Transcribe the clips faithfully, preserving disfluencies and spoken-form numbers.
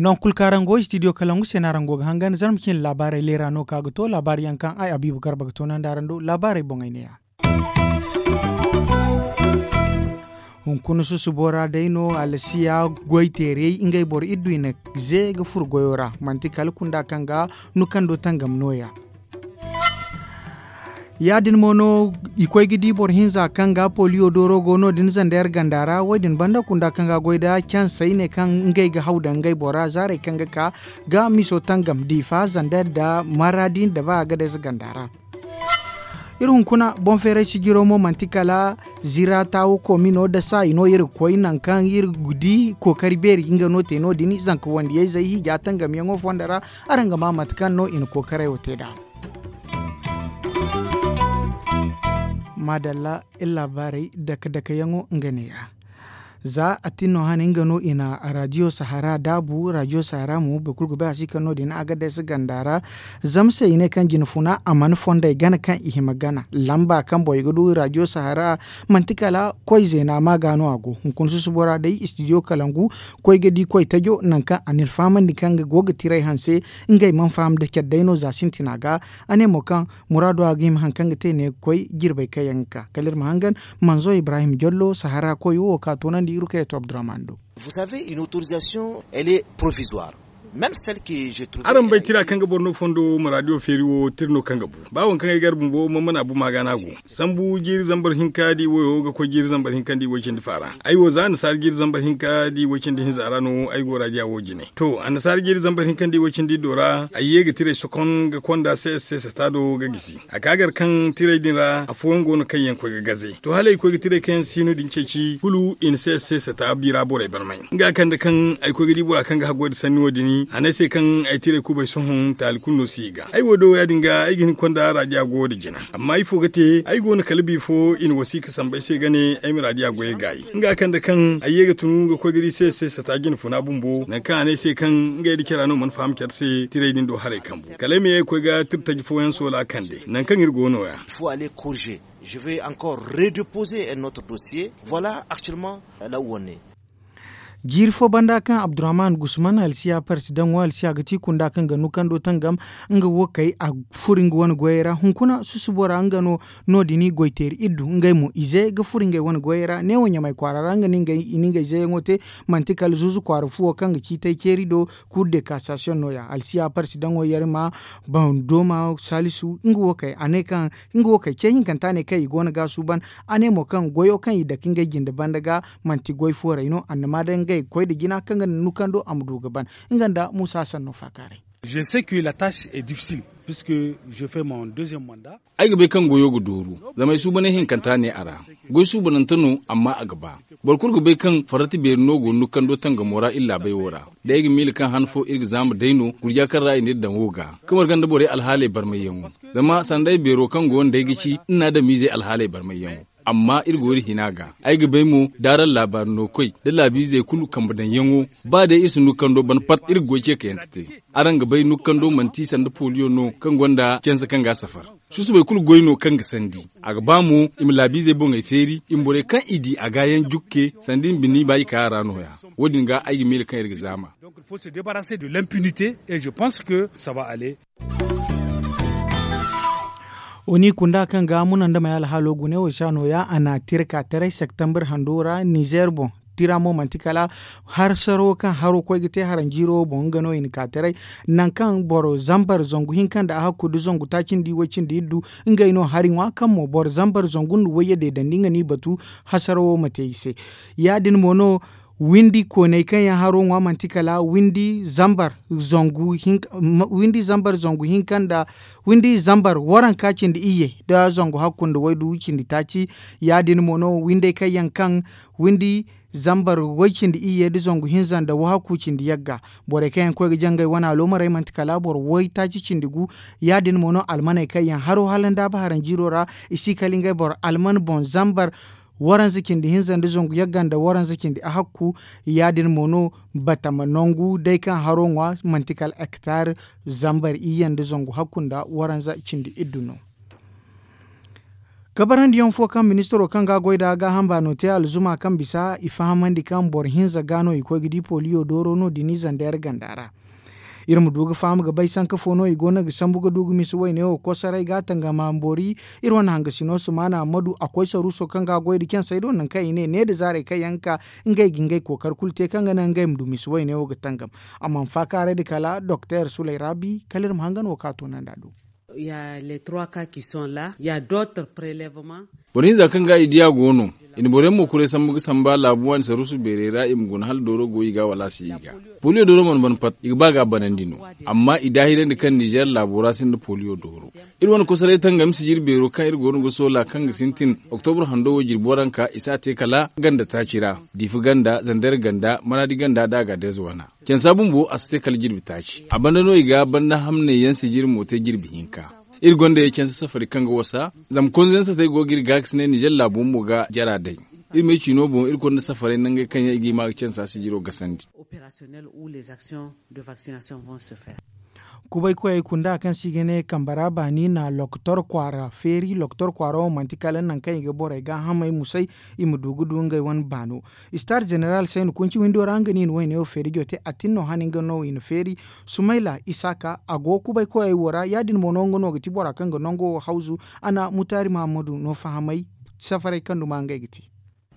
Noŋ kulu kaŋ araŋ go istidiyo kalangu se no araŋ go ga hangan zarma cine laabaarey leera no ka ga to laabaari yaŋ kaŋ ay abiibu garba ga toonandi araŋ do laabaarey boŋey ne ya. Hunkuna susubo ra day no alsiya goy teerey ngey boro iddu i na ze ga furo goyo ra manti kala kunda kaŋ ga nukando tangam no- ya. Ya- din mo no i koy ga di boro hinza kaŋ ga poliyo dooro go no- din zandayar ganda ra wo- din banda kunda kaŋ ga goy da cansey ne kaŋ ngey ga haw daŋ ngey bora zaarey kaŋ ga ka ga miso tangam diifa zandayar nda maradi nda ba a ga day se ganda ra. Iri hunkuna boŋ feeray sijiro mo manti kala zira taawo koomino dasa i no iri ga koy nangu kaŋ iri ga di kookari beeri nga no te no- din zanka wandiyey zay hiija tangamyaŋo fondo ra. Araŋ ga ma mate kaŋ no i na kookaray wo te nd'a. Maadalla iri laabaarey dake dake yaŋo nga ne- ya. Za a tin no hane nga no i na raadiyo sahara daabu raadiyo sahara mo boro kulu ga bay a si kaŋ no- din a ga day se ganda ra. Zama se i ne kaŋ jina funa a mana fondey gana kaŋ i hima gana lamba kaŋ borey ga du raadiyo sahara. Manti kala koy zeena ma ga no a go hunkuna susubo ra day istidiyo kalangu koy ga di koy tajo nangu kaŋ a na ni fahamandi kaŋ ga go ga tiray hanse. Ngey mana faham da care day no za sintina ga. A ne mo kaŋ muraado a ga hima hari kaŋ ga te ne ga koy jirbey kaŋ yaŋ ga ka kala iri ma hangan. Manzo ibrahim jallo sahara koy wo ka toonandi iri kay to abdurrahman do. Araŋ bay tira kaŋ ga boro no fondo muraadiyo feeri wo tira no kaŋ ga bu ba waŋ kaŋ ay gar bumbo mana bu ma ga no a go. Sambu jiiri zambar hinka da i wayo ga koy jiiri zambar hinka nda i way cindi faara. Ay wo za annasaara jiiri zambar hinka da i way cindi hinza ra no ay go raadiya wo jine to annasaara jiiri zambar hinka nda i way cindi iddo ra ay ye ga tiray sokon ga konda se se sata do ga gisi a ka gar kaŋ tiray din ra afooyaŋ go no kaŋ yaŋ koy ga gaze to hala ay koy ga tiray kaŋ yaŋ si no din ceeci kulu i na se se sata biira borey barmay. Nga kande kaŋ ay koy ga di bora kaŋ ga haggoy nda sanni wo- din a ne ay se kaŋ ay tiray kubay sohõ taali kulu no si i ga ay wo do ya- din ga ay ga hin konda raadiya go da jina. Amma ifo ga te ay go no kala bifo i na wasiika sambu ay se ga ne ay ma raadiya goyey gaayi. Nga kande kaŋ ay ye ga tun ga koy ga di se se sata jina funa bumbo nangu kaŋ a ne ay se kaŋ ngey nda cara no mana faham care se tiray din do haray kambu kala ay ma ye ga koy ga tirtaji fooyaŋ soola kande nangu kaŋ iri go no- ya. Je vais encore redeposer un autre dossier. Voilà actuellement la uwanne. Jiiri fo banda kaŋ abdurrahman gusman alsiya parsi daŋo alsiya ga ti kunda kaŋ ga nukando tangam nga wo kay a furo nga wane goyey ra hunkuna susubo ra nga no. No- din i goy teeri iddu ngey mo ize ga furo ngey wane goyey ra neewo ɲamay kwaara ra nga no i na ngey zeeyaŋo te. Manti kala zuuzu kwaara fuwo kaŋ ga ciitay ceeri do. Kur de kasasiyoŋ no- ya alsiya parsi daŋo yar ma bandooma salisu nga wo kay a ne kaŋ nga wo kay ce hinkanta ne kaŋ i go no ga a suuban. A ne mo kaŋ goyo kaŋ i dake ngey jinde banda ga manti goy fooray no annama day ngey ga koy nda jina kaŋ ga nda nukando a ma du ga ban. Nga nda muusa sanno faakaaray. Je sais que la tache est difficile puisque je fais mon deuxième mandat. Ay ga bay kaŋ goyo ga dooru zama ay suubanay hinkanta ne a ra. Goy suubanante no amma a ga ba. Boro kulu ga bay kaŋ farrati beeri no go nukando tangamo ra iri laabay wo ra. Day ay ga miila kaŋ han fo iri ga zaama day no gurja kaŋ ra i na iri daŋ wo ga ka marga nda borey alhaaley barmayyaŋo. Zama sanda ay beero kaŋ go nda ay ga ci iri na adamiizey alhaaley barmayyaŋo. Amma iri go iri hina ga ay ga bay mo da araŋ laabaari no koy da laabiizey kulu kambe daŋyaŋo. Ba day iri si nukando ban pat iri ga goy ce kayante te. Araŋ ga bay nukando manti sanda poliyo no kaŋ gonda canse kaŋ ga a safar. Susubay kulu goy no kaŋ ga sandi. A ga ba mo i ma laabiizey boŋey feeri i ma borey kaŋ i di a ga yaŋ jukke sanda i ma bini ba i ka a ra nooya. Wo- din ga ay ga miila kaŋ iri ga zaama. Donc il faut se débarrasser de l'impunité et je pense que ça va aller. Oni kunda kaŋ ga muna nda may alhaalo gune wo sha nooya a na a tira ka taray septembre hando ra nizer boŋ. Tira mo manti kala harsaro kaŋ haro koy ga te haranjiiro wo boŋ nga no i na ka taray. Nangu kaŋ boro zambar zangu hinka nda a hakku nda zangu taaci nda i way cindi iddu. Ngey no hari ŋwa kaŋ mo boro zambar zangu nda wayye deedandi nga n'i batu. Hasaro wo ma te i se. Ya- din mo no windi kooney kaŋ yaŋ haro ŋwa manti kala windi zambar zangu hinka windi zambar zangu hinka nda windi zambar waranka cindi iyye nda zangu hakku nda waydu cindi taaci. Ya- din mo no windey kaŋ yaŋ kaŋ windi zambar way cindi iyye nda zangu hinza nda wahakku cindi yagga. Borey kaŋ yaŋ koy ga jangay wane aloomarey manti kala boro way taaci cindi gu. Ya- din mo no almaney kaŋ yaŋ haro hala nda ba haranjiiro ra i si kala ngey boro alman boŋ zambar. Waranza cindi hinza nda zangu yagga nda waranza cindi ahakku. Ya- din mo no batama nangu day kaŋ haro ŋwa manti kala hektar zambar iyye nda zangu hakku nda waranza cindi iddu no. Kabarandiyaŋ fo kaŋ ministiro kaŋ ga a goy nd'a gaaham baano te alzuma kaŋ bisa i fahamandi kaŋ boro hinza ga no i koy ga di poliyo dooro no- din i zandeer ganda ra. Iri ma du ga faham ga bay sanka fo no i go no ga sambu ga du ga misa wayne wo kosaray ga tangama boori. Iri wane hangasino sumaana ammadu a koy saruuso kaŋ ga a goy nda cansey do nangu kaŋ i ne ne nda zaarey kaŋ yaŋ ga ka ngey ga ngey kookari kulu te kaŋ ga naŋ ngey ma du misa wayne wo ga tangam. Amma ma faakaaray nda kala doktor sulay raabi kala iri ma hangan wo kaŋ a toonandi a do. Boro hinza kaŋ ga i diya go no. I na boro yaŋ mo kuray sambu ga samba laabu waani saruusu beerey ra i ma guna hala dooro go i ga wala a si i ga. Poliyo dooro mana ban pat i ga ba ga a banandi no. Amma i daahirandi kaŋ nizeer laabo ra sinda poliyo dooro. Iri wane kosoray tangam sijiri beero kaŋ iri go no ga soola kaŋ ga sintin oktobro hando wo jirbi waranka i si a te kala ganda taaci ra. Diifa ganda zandeer ganda maraadi ganda nda a ga deeza wana. Cansa bumbo a si te kala jirbi taaci a banda no i ga banda hamney yaŋ sijiri mo te jirbi hinka. Iri gonda ya cansa safari kaŋ ga wasa zama konzo yaŋ satey go ga iri ga ga si ne nizeer laabo mo ga jara day. Iri ma ay ciino boŋ iri gonda safaray nangey kaŋ yaŋ i ga i ma ga cansa sijiro gasandi. Kubay koyey kunda kaŋ se i ga ne kambe ra baani na lokotor kwaara feeri lokotor kwaara wo manti kala nangu kaŋ i ga borey gaahamey musay. I ma du ga du ngey wane baano. Star jeneral sayni kunci windo ra nga no i na wayne wo feeri jote atin no hane nga no i na feeri. Sumayla isaaka a go kubay koyey wo ra ya- din mo no nga no ga ti bora kaŋ ga nango wo hawzu. A na mutaari mahammadu no fahamay safaray kaŋ duma ngey ga te.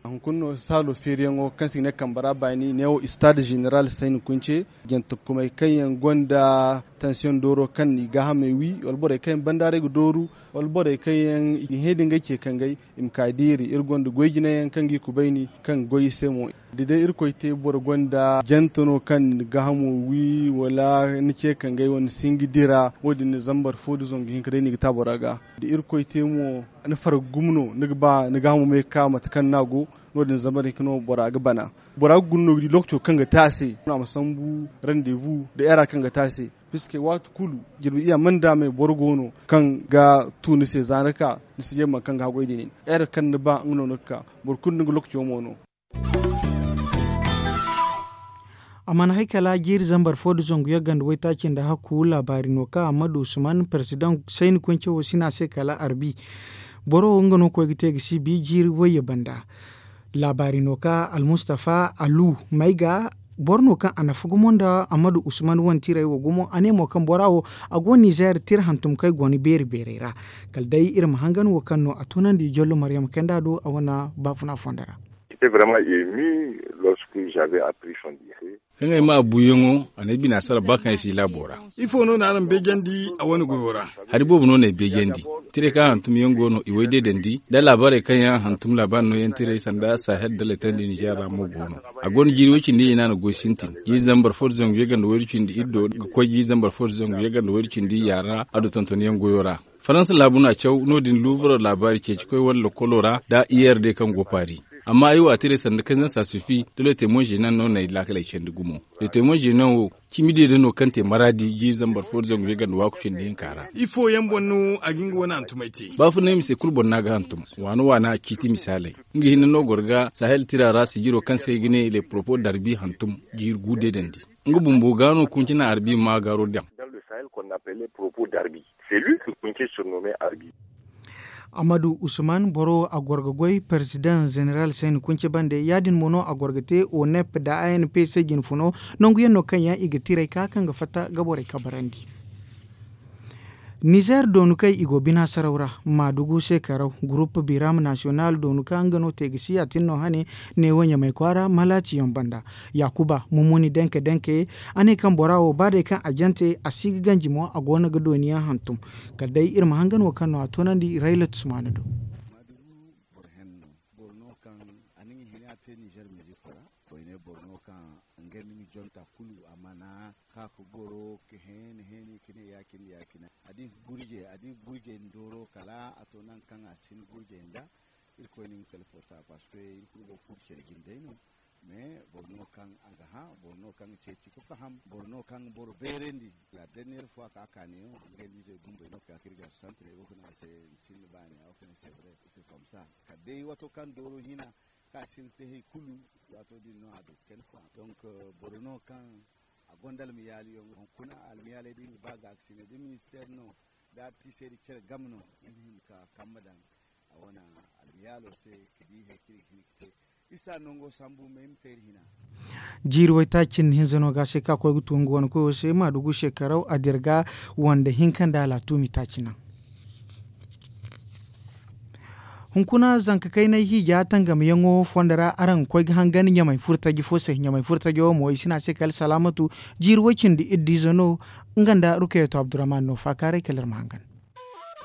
Hunkuna no saalo feeriyaŋo kaŋ se i ga ne kambe ra baani neewo istaad zeneral sayni kunce jantakumey kaŋ yaŋ gonda tansiyoŋ dooro kaŋ na i gaahamey wi wala borey kaŋ yaŋ bandaaray ga dooru wala borey kaŋ yaŋ i ga hẽ da ngey ce kangey. I ma ka diiri iri gonda goy jinayaŋ kaŋ ga i kubayni kaŋ ga goy i se mo. Da day irkoy te boro gonda jante no kaŋ na ni gaahamo wi wala ni ce kangey wala ni si hin ga dira wo- din na zambar fo nda zangu hinka day no i ga te a bora ga. Da irkoy te mo ni farga gumo no ni ga ba ni gaahamo ma ye ga ka mate kaŋ no a go. No- din zambar hinka no bora ga bana. Bora ga guna no ga di lokaco kaŋ ga te a se no a ma sambu randevu nda era kaŋ ga te a se. Piske waati kulu jirbi iyya mana daamay boro go no kaŋ ga tu ni se za ni ka ni si ye ma kaŋ ga haggoy din era kaŋ ni ba nga no ni ga ka. Boro kulu ni ga lokaco mo no. A mana hay kala jiiri zambar fo nda zangu yagga nda waytaaci nda hakku laabaari no kaŋ ammadu usman perezidaŋ sayni kunce wo si ne a se kala arbi. Boro wo nga no koy ga te ga si bi jiiri wayye banda. Laabaari no kaŋ almustafa alu may ga boro no kaŋ a nafa gumo nda ammadu usman wane tiray wo gumo a ne mo kaŋ bora wo a go nizeer tira hantum kaŋ ay go ni beeri beeray ra. Kala day iri ma hangan wo kaŋ no a tunandi jollo maryama kayndi a do a wane baafuna fondo ra. Kaŋ ay ma a buuyaŋo a n'ay bina sara ba kaŋ ay si laabo ra. Ifo no na araŋ beejandi a wane goyo ra? Hari boobo no n'ay beejandi. Tiray kaŋ a hantum yaŋ go no i way deedandi nda laabaarey kaŋ yaŋ a hantum laabaari no yaŋ tiray sanda sahel nda letandi nizeer ra mo go no. A go no jiiri way cindi hinne a na goy sintin jiiri zambar fo nda zangu yagga nda wayru cindi iri do ga koy jiiri zambar fo nda zangu yagga nda wayru cindi yaara a du tonton yaŋ goyo ra. Faransa laabu no a caw no- din luuvaro laabaari ceeci koy wane lokolo ra nda i r d kaŋ go paari. Amma ay wo a tiray sanda kayzansa sufi da le te mo zenan no n'ay laakaley candi gumo. Le te mo zenan wo cimi deede no kaŋ te maraadi jiiri zambar fo nda zangu yagga nda waaku cindi hinka ra. Ifo yaŋ boŋ no a ga nga wane hantumey te? Baafunay mise kulu boŋ no a ga hantum. Waana waana ciiti misaaley. Nga hinne no goro ga sahel tira ra sijiro kaŋ se ay ga ne le poropo darbi hantum jiiri gu deedandi. Nga bumbo ga no kunci na arbi ma gaaro daŋ. Ammadu usman boro a goro ga goy perezidaŋ zeneral sayni kunce bande ya- din mo no a goro ga te onep nda a n p se jinfuno. Nangu yaŋ no kaŋ yaŋ i ga tiray ka kaŋ ga fatta ga borey kabarandi. Nizeer doonu kaŋ i go bina saraw ra maadugu se karaw gurup biram nasiyonal doonu kaŋ nga no te ga si ya tin no hane. Neewo ɲamay kwaara malaati yaŋ banda. Yaakuba mumuni denke denke a ne kaŋ bora wo ba day kaŋ a jante a si ga ganji mo a go no ga dooni yaŋ hantum. Kala day iri ma hangan wo kaŋ no a toonandi rayla tusmaana do. Boro no kaŋ a na nga hina te nizer mizik ra. Koyne boro no kaŋ nga ni nga jonta kulu a mana ka ga goro ga heeni heeni ga ne ya- cine ya- cine. A di ga gurje a di ga gurje ni dooro kala a to nangu kaŋ a si hin gurje nda. Iri koy no nga kala fota parceque iri kulu go ga furo care jine day no. Mais boro no kaŋ a ga hã, boro no kaŋ ga ceeci ga faham, boro no kaŋ ga boro beerandi. La dernière fois ka a ka neewo, ngey nda izey bumbey no ka ga ka iri ga santirey go ga ne a se ni sinda baani a wo ka ne sevre se komsa. Kala day waato kaŋ dooro hina ka sinda te hari kulu, waato din no a du kayna fo. Donc boro no kaŋ a gonda almiyaali yaŋ hunkuna almiyaaley da iri ga ba ga a ga sinda da ministeer no da artiseeri care game no iri hin ka kambe daŋ a wane almiyaalo se ka di hari kaŋ iri ga hin ga te isa nango sambu ma ay ma te iri hina. Jiiri waytaaci cindi hinza no ga se ka koy ga tu nga wane koyo se ma dugu shekaraw a dirga wanda hinka nda alatuumi taaci naŋ. Hunkuna zanka kaynay hiija tangam yaŋo fondo ra araŋ ga koy ga hangan ɲamay furtaji fo se ɲamay furtaji wo mo i si ne a se kala salaamatu. Jiiri way cindi iddu ize no nga nda rukayato abdurrahman no faakaaray kala iri ma hangan.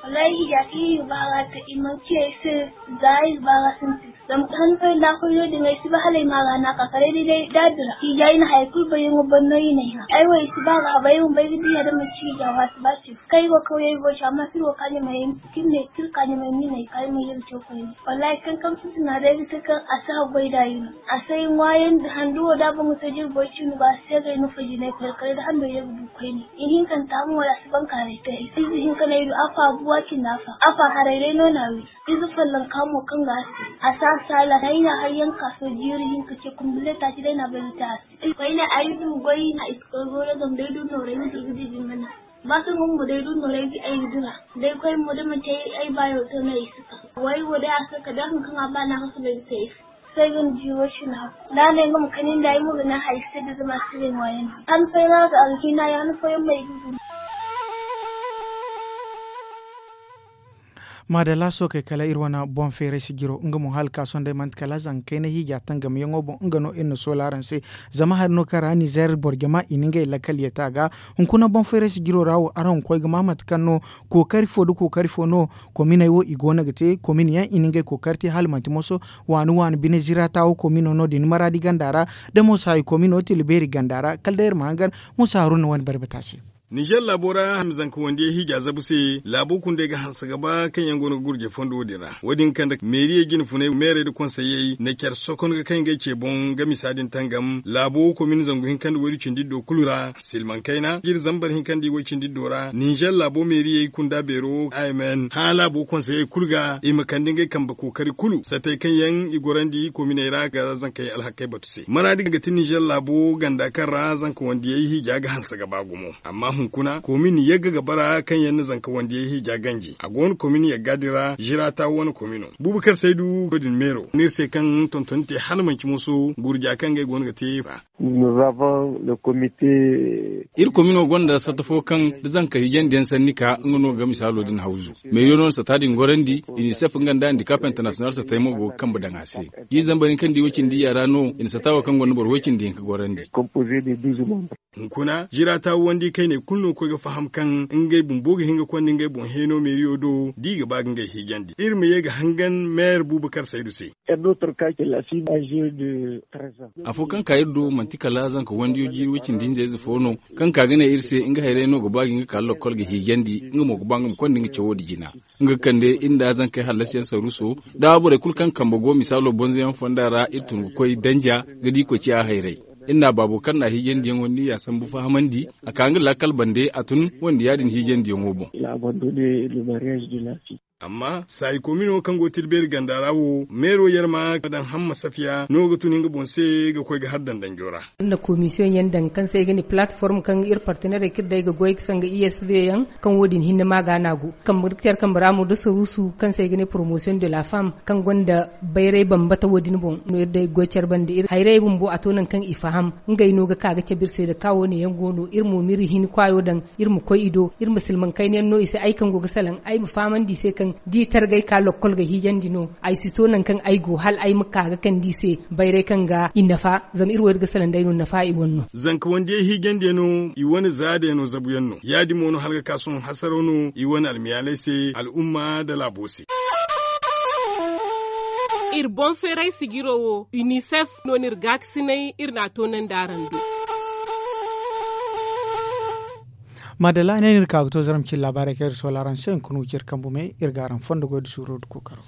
Wallahi hiija kaŋ iri ga ba ga te i mana ci ay se. Za iri ga ba ga sintin zama han fay da a koy no- din ay si ba hala ay ma ga no a ka kala ay day da a dira hiija i na hayey kulu bayyaŋo ban no i n'ay hã ay wo ay si ba ga a bay ay ma bay ga diya da manti hiija wo a si ba ci. Kaŋ iri go kawyey boy ci amma si iri go ka ɲamay ay ma ci iri ne si iri ka ɲamay ma i n'ay ka ay ma ye ga caw koyne. Wallahi kankam sintina day ga te kaŋ a si haggoy da iri no. A si ay ŋwaayandi handu wo da a boŋ ga te jirboy cindi go a si seegay no fajinay koy kala da hando ye ga du koyne. Ihinkanta mo a si bankaaray te ay se ize hinka no ay du afa buwa cindi afa afa haray day no no a wi. Ize follonka mo kaŋ ga a se a si a saala ay na a hayyaŋ ka so jiiri hinka ce kumbile taaci day no a bay ga te a se. Koyne ay du goy na i si koy goyo zama day du nooray ga di ga di jingana. Ba kaŋ ga mo day du nooray ga ay ga dira. Day koy mo da manti ay baayo to no ay si ka. Way wo day a se kala day haŋ kaŋ a ba no a ga soobay ga te ay se. Sai ga ni jiiro cina. Da a ne nga ma kani nda ay mo ga ne hari si te da zama a si ga ay ŋwaayan. Han fooyaŋ a ga a ga hina yaŋ han fooyaŋ mo ay ga guna. Maadalla sookey kala iri wane boŋ feeray sijiro nga mo hala ka sohõ day manti kala zanga kayna hiija tangam yaŋo boŋ nga no iri na soola araŋ se. Zama hari no kaŋ ra nizeer boro jama i na ngey lakkal yeta ga. Hunkuna boŋ feeray sijiro ra wo araŋ ga koy ga ma mate kaŋ no kookari fo nda kookari fo no kominey wo i go no ga te komin yaŋ i na ngey kookari te hala manti moso waani waani bine zirata wo komino no- din maraadi ganda ra. Da mo saayi komino tila beeri ganda ra kala day iri ma hangan. Musa haruna wane barbata se. Nizer laabo ra hamzanka wandiyey hiija zabu se laabo kundey ga hanse ga ba kaŋ yaŋ go no ga gurjey fondo wo- din ra wo- din ga kande meeriyey jine funey meerey nda konseyey na care sokon ga kaŋ ngey ce boŋ ga misa din tangam laabo komin zangu hinka nda waydu cindi iddo kulu ra silmaŋ kayna jiri zambar hinka nda iway cindi iddo ra nizer laabo meeriyey kunda beero a m n hã laabo konseyey kulu ga i ma kande ngey kambe kookari kulu satey kaŋ yaŋ i gorandi kominey ra ga zankey alhakey batu se maraadi ga ti nizer laabo ganda kaŋ ra zanka wandiyey hiija ga hanse ga ba gumo. Amma hunkuna komin yagga ga bara kaŋ yaŋ na zanka wandiyey hiija ganji a go no komin yagga din ra zirata wane komino buubu kaŋ se ay du wo- din meero no iri se kaŋ tontoni te hala manci moso gurja kaŋ ngey go no ga te ra. Iri komino gonda sata fo kaŋ da zanka hiijandiyaŋ sanni ka nga no ga misaalo din hawzu. Meeriyo no na sata din gorandi. Inisef nga nda handikap international satey mo go ga kambe daŋ a se. Jiiri zambar hinka nda iway cindi iyya ra no i na sata wo kaŋ gonda boro way cindi hinka gorandi. Hunkuna zirata wandi kayney kulu no ga koy ga faham kaŋ ngey bumbo ga hin ga konda ngey boŋ heeno meeriyo do da i ga ba ga ngey hiijandi iri ma ye ga hangan meer buubu kar saydu se. Afo kaŋ ka iri do manti kala zanka wandiyo jiiri way cindi hinza ize fo no kaŋ ka ga ne iri se nga hayray no ga ba ga hin ga ka lokkol ga hiijandi nga mo ga ba nga ma konda nga cawo nda jina. Nga ga kande iri nda zankey hallasiyaŋ saruuso da borey kulu kaŋ kambe go misaalo bonzoyaŋ fonda ra iri tun ga koy danja ga di koy ciya hayray. Iri na baabo kaŋ na hiijandiyaŋo niyya sambu fahamandi a ka nga laakal bande a tun wande ya- din hiijandiyaŋo boŋ. Amma saayi komino kaŋ go tilbeeri ganda ra wo meero yarma ga daŋ hamma safiya no ga tun nga boŋ se ga koy ga har dandanjo ra. Iri na komisiyoŋ yaŋ daŋ kaŋ se ay ga ne palateform kaŋ iri partenerey kaŋ iri day ga goy ga sanga i s v yaŋ kaŋ wo- din hinne ma ga no a go kambe ga care kambe ra mo da saruusu kaŋ se ay ga ne promosiyoŋ de la femme kaŋ gonda bayray bambata wo- din boŋ no iri day ga goy care banda iri hayray bumbo a to nangu kaŋ i faham ngey no ga ka ga cabe iri se da ka wo- ne yaŋ go no iri mo ma iri hini kwaayo daŋ iri ma koy i do iri ma silmaŋ kayna yaŋ no i se ay kaŋ go ga salaŋ ay ma fahamandi i se kaŋ da i targay ka lokkol ga hiijandi no. Ay si to nangu kaŋ ay go hala ay ma ka ga kande i se bayray kaŋ ga i nafa zama iri wo iri ga salaŋ day no nafa i wane no. Zanka wandiyey hiijandiyano i wane zaadayano zabuyaŋ no ya- din mo no hala ga ka sohõ hasaraw no i wane almiyaaley se al'umma nda laabo se. Iri boŋ feeray sijiro wo unicef no no iri gaakasinay iri n'a toonandi araŋ do. Maadalla ay ne no iri ka ga to zaram cine laabaarey kaŋ iri soola araŋ se hunkuna wo ci iri kambu me iri ga araŋ fondo goy nda suuro nda kookaro.